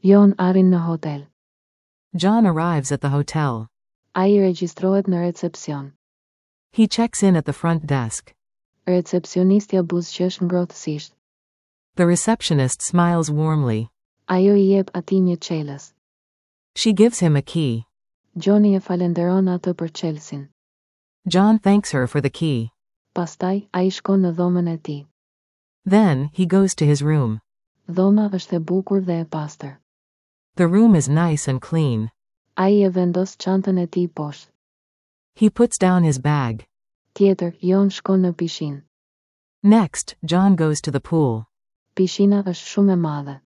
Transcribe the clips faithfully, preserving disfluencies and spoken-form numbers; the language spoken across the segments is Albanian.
John arrin në hotel. John arrives at the hotel. Ai regjistrohet në recepcion. He checks in at the front desk. Recepcionistja buzëqesh ngrohtësisht. The receptionist smiles warmly. Ajo i jep atij një çelës. She gives him a key. Johnny e falenderon atë për çelësin. John thanks her for the key. Pastaj, ai shkon në dhomën e tij. Then, he goes to his room. Dhoma është e bukur dhe e pastër. The room is nice and clean. Ai e vendos çantën e tij poshtë. He puts down his bag. Tjetër, John shkon në pishinë. Next, John goes to the pool. Pishina është shumë e madhe.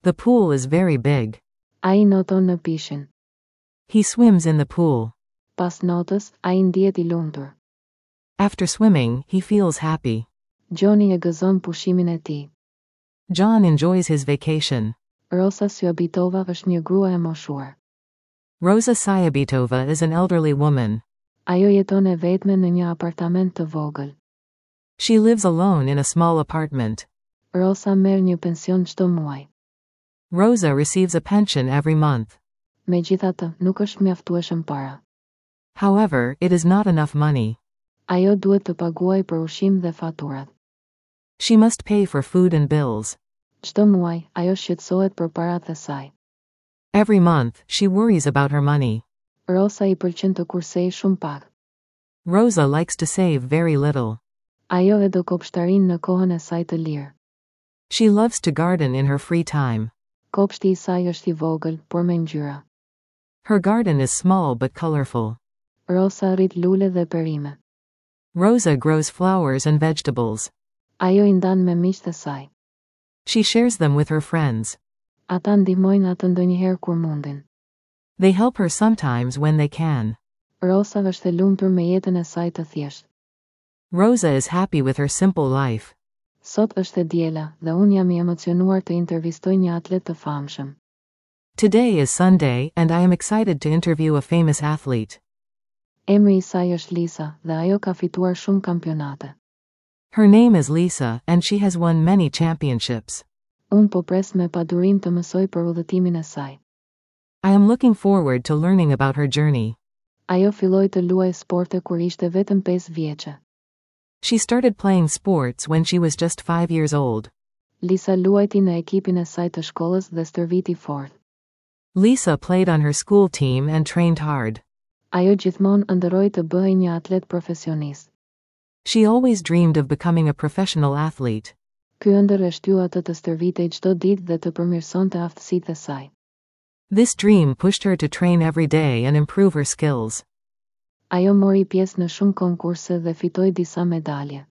The pool is very big. Ai noton në pishinë. He swims in the pool. Pas notës, ai ndihet i lumtur. After swimming, he feels happy. Johnny e gëzon pushimin e tij. John enjoys his vacation. Rosa Syabitova është një grua e moshuar. Rosa Syabitova is an elderly woman. Ajo jeton e vetme në një apartament të vogël. She lives alone in a small apartment. Rosa merr një pension çdo muaj. Rosa receives a pension every month. Megjithatë, nuk është mjaftueshëm para. However, it is not enough money. Ajo duhet të paguajë për ushqim dhe faturat. She must pay for food and bills. Çdo muaj, ajo shqetësohet për parat e saj. Every month, she worries about her money. Rosa i pëlqen të kursejë shumë pak. Rosa likes to save very little. Ajo e do kopshtarinë në kohën e saj të lirë. She loves to garden in her free time. Kopshti i saj është i vogël, por me ngjyra. Her garden is small but colorful. Rosa rrit lule dhe perime. Rosa grows flowers and vegetables. Ajo i ndan me miqtë e saj. She shares them with her friends. Ata ndihmojnë atë ndonjëherë kur mundin. They help her sometimes when they can. Rosa është e lumtur me jetën e saj të thjeshtë. Rosa is happy with her simple life. Sot është e diela dhe unë jam i emocionuar të intervistoj një atlet të famshëm. Today is Sunday, and I am excited to interview a famous athlete. Emri i saj është Lisa dhe ajo ka fituar shumë kampionate. Her name is Lisa, and she has won many championships. Unë po pres me padurim të mësoj për udhëtimin e saj. I am looking forward to learning about her journey. Ajo filloi të luajë sporte kur ishte vetëm pesë vjeçe. She started playing sports when she was just five years old. Lisa luajti në ekipin e saj të shkollës dhe stërviti fort. Lisa played on her school team and trained hard. Ajo gjithmonë ëndërroi të bëhej një atlet profesionist. She always dreamed of becoming a professional athlete. Ky ëndërr e shtyu atë të stërvitej çdo ditë dhe të përmirësonte aftësitë e saj. This dream pushed her to train every day and improve her skills. Ajo mori pjesë në shumë konkurse dhe fitoi disa medalje.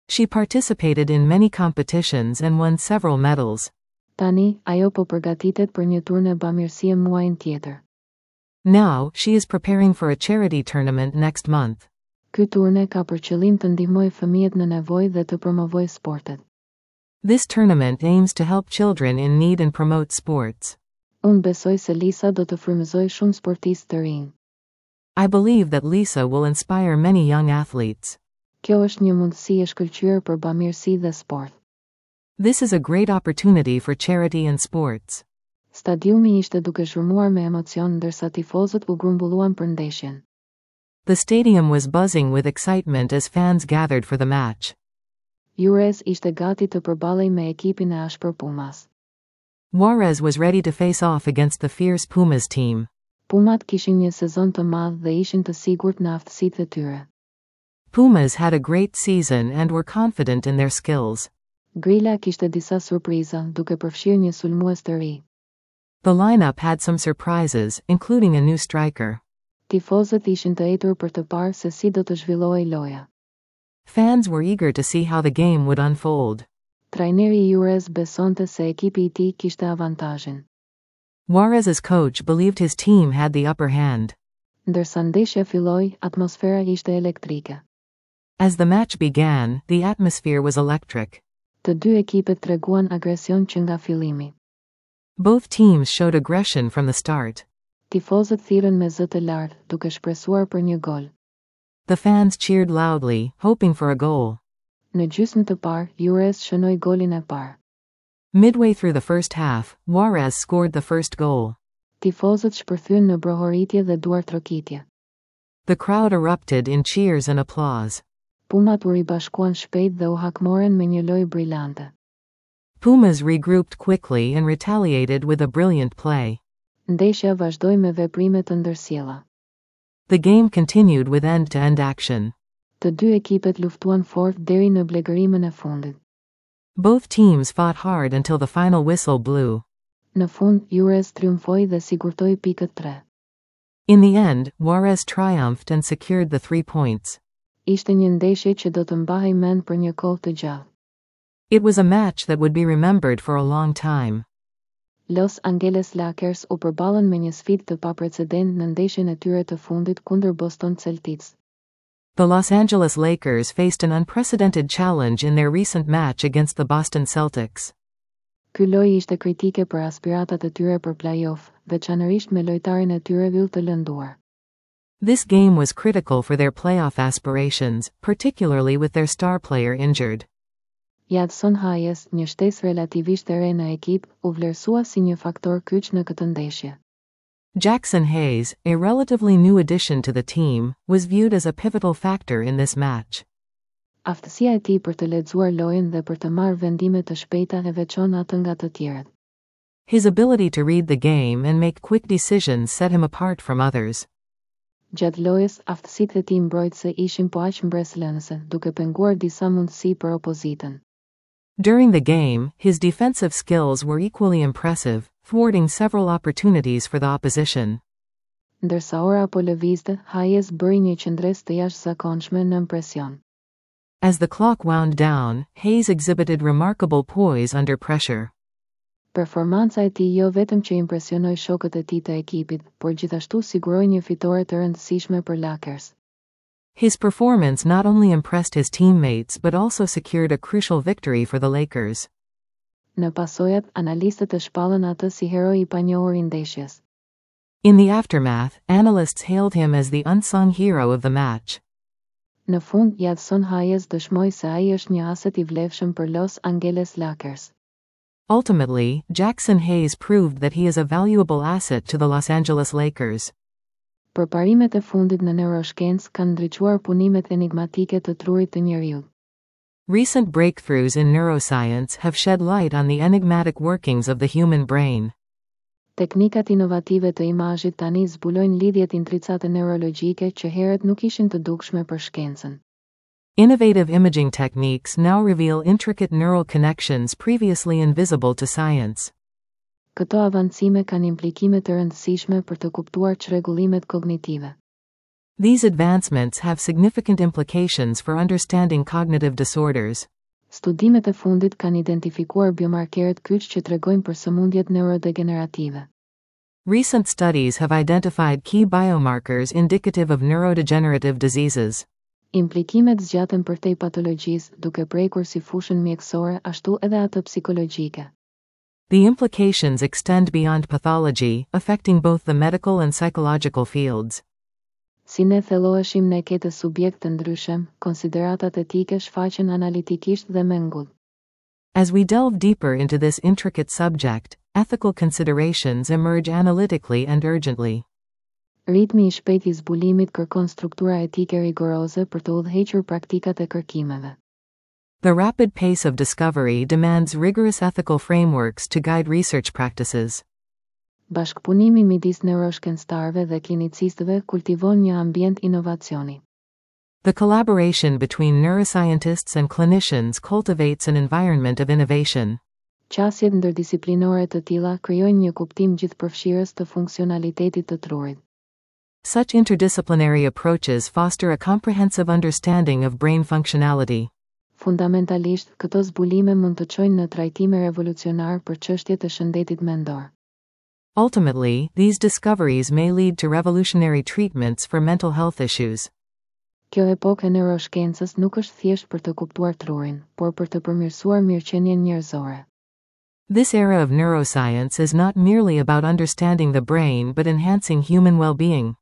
She participated in many competitions and won several medals. Tani, ajo po përgatitet për një turne bamirësie muajin tjetër. Now, she is preparing for a charity tournament next month. Ky turne ka për qëllim të ndihmojë fëmijët në nevojë dhe të promovojë sportet. This tournament aims to help children in need and promote sports. Unë besoj se Lisa do të frymëzojë shumë sportistë të rinj. I believe that Lisa will inspire many young athletes. Kjo është një mundësi e shkëlqyer për bamirësi dhe sport. This is a great opportunity for charity and sports. Stadiumi ishte duke zhurmuar me emocion ndërsa tifozët u grumbulluan për ndeshjen. The stadium was buzzing with excitement as fans gathered for the match. Juarez ishte gati të përballej me ekipin e ashpër Pumas. Juarez was ready to face off against the fierce Pumas team. Pumat kishin një sezon të madh dhe ishin të sigurt në aftësitë e tyre. Pumas had a great season and were confident in their skills. Grila kishte disa surpriza, duke përfshirë një sulmues të ri. The lineup had some surprises, including a new striker. Tifozët ishin të etur për të parë se si do të zhvillohej loja. Fans were eager to see how the game would unfold. Trajneri i Juarez besonte se ekipi i tij kishte avantazhin. Juarez's coach believed his team had the upper hand. Ndërsa ndeshja filloi, atmosfera ishte elektrike. As the match began, the atmosphere was electric. Të dy ekipet treguan agresion që nga fillimi. Both teams showed aggression from the start. Tifozët thirrën me zë të lartë, duke shpresuar për një gol. The fans cheered loudly, hoping for a goal. Në gjysmë të parë, Juarez shënoi golin e parë. Midway through the first half, Juarez scored the first goal. Tifozët shpërthyen në brohoritje dhe duartrokitje. The crowd erupted in cheers and applause. Pumat u ribashkuan shpejt dhe u hakmoren me një lojë brillante. Pumas regrouped quickly and retaliated with a brilliant play. Ndeshja vazhdoi me veprime të ndërsjella. The game continued with end-to-end action. Të dy ekipet luftuan fort deri në blegërimën e fundit. Both teams fought hard until the final whistle blew. Në fund, Juarez triumfoi dhe sigurtoi pikët tre. In the end, Juarez triumphed and secured the three points. Ishte një ndeshje që do të mbahej mend për një kohë të gjatë. It was a match that would be remembered for a long time. Los Angeles Lakers u përballën me një sfidë të paprecedent në ndeshjen e tyre të fundit kundër Boston Celtics. The Los Angeles Lakers faced an unprecedented challenge in their recent match against the Boston Celtics. Ky lojë ishte kritike për aspiratat e tyre për play-off, veçanërisht me lojtarin e tyre yll të lënduar. This game was critical for their playoff aspirations, particularly with their star player injured. Jaxson Hayes, një shtesë relativisht e re në ekip, u vlerësua si një faktor kyç në këtë ndeshje. Jaxson Hayes, a relatively new addition to the team, was viewed as a pivotal factor in this match. Aftësia e tij për të lexuar lojën dhe për të marrë vendime të shpejta e veçon atë nga të tjerët. His ability to read the game and make quick decisions set him apart from others. Gjatë lojës, aftësitë e tij mbrojtëse ishin po aq mbresëlënëse, duke penguar disa mundësi për opozitën. During the game, his defensive skills were equally impressive, thwarting several opportunities for the opposition. Ndërsa ora po lëvizte, Hayes bëri një qëndresë të jashtëzakonshme nën presion. As the clock wound down, Hayes exhibited remarkable poise under pressure. Performanca e tij jo vetëm që impresionoi shokët e tij të ekipit, por gjithashtu siguroi një fitore të rëndësishme për Lakers. His performance not only impressed his teammates but also secured a crucial victory for the Lakers. Në pasojat, analistët e shpallën atë si heroi i panjohur i ndeshjes. In the aftermath, analysts hailed him as the unsung hero of the match. Në fund, Jaxson Hayes dëshmoi se ai është një aset i vlefshëm për Los Angeles Lakers. Ultimately, Jaxson Hayes proved that he is a valuable asset to the Los Angeles Lakers. Përparimet e fundit në neuroshkencë kanë ndriçuar punimet enigmatike të trurit të njeriut. Recent breakthroughs in neuroscience have shed light on the enigmatic workings of the human brain. Teknikat inovative të imazhit tani zbulojnë lidhjet intricate neurologjike që herët nuk ishin të dukshme për shkencën. Innovative imaging techniques now reveal intricate neural connections previously invisible to science. Këto avancime kanë implikime të rëndësishme për të kuptuar çrregullimet kognitive. These advancements have significant implications for understanding cognitive disorders. Studimet e fundit kanë identifikuar biomarkerët kyç që tregojnë për sëmundjet neurodegenerative. Recent studies have identified key biomarkers indicative of neurodegenerative diseases. Implikimet zgjaten përtej patologjisë, duke prekur si fushën mjekësore ashtu edhe atë psikologjike. The implications extend beyond pathology, affecting both the medical and psychological fields. Si ne thelloheshim në këtë subjekt të ndryshëm, konsideratat etike shfaqen analitikisht dhe me ngut. As we delve deeper into this intricate subject, ethical considerations emerge analytically and urgently. Ritmi i shpejt i zbulimit kërkon struktura etike rigoroze për të udhëhequr praktikat e kërkimeve. The rapid pace of discovery demands rigorous ethical frameworks to guide research practices. Bashkëpunimi midis neuroshkencëtarëve dhe klinicistëve kultivon një ambient inovacioni. The collaboration between neuroscientists and clinicians cultivates an environment of innovation. Qasjet ndërdisiplinore të tilla krijojnë një kuptim gjithëpërfshirës të funksionalitetit të trurit. Such interdisciplinary approaches foster a comprehensive understanding of brain functionality. Fundamentalisht, këto zbulime mund të çojnë në trajtime revolucionar për çështjet e shëndetit mendor. Ultimately, these discoveries may lead to revolutionary treatments for mental health issues. Kjo epokë e neuroshkencës nuk është thjesht për të kuptuar trurin, por për të përmirësuar mirëqenien njerëzore. This era of neuroscience is not merely about understanding the brain but enhancing human well-being.